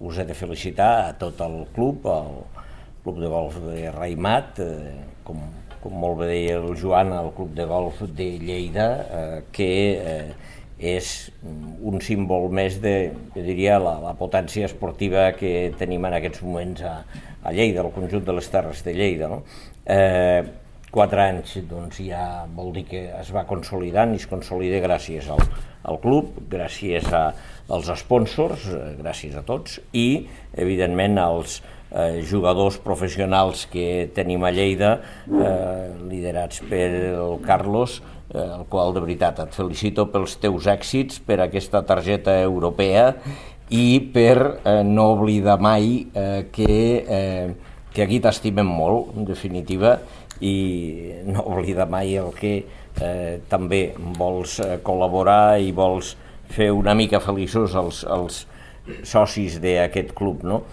us he de felicitar a tot el club de golf de Raïmat, com molt bé deia el Joan, el club de golf de Lleida, que és un símbol més de, jo diria, la potència esportiva que tenim en aquests moments a Lleida, al conjunt de les Terres de Lleida, no? 4 anys doncs, ja vol dir que es va consolidant i es consolida gràcies al club, gràcies als sponsors, gràcies a tots, i evidentment als jugadors professionals que tenim a Lleida, liderats per el Carlos, el qual de veritat et felicito pels teus èxits, per aquesta targeta europea i per no oblidar mai que aquí t'estimem molt, en definitiva, i no oblidar mai el que també vols col·laborar i vols fer una mica feliços els socis d'aquest club, no?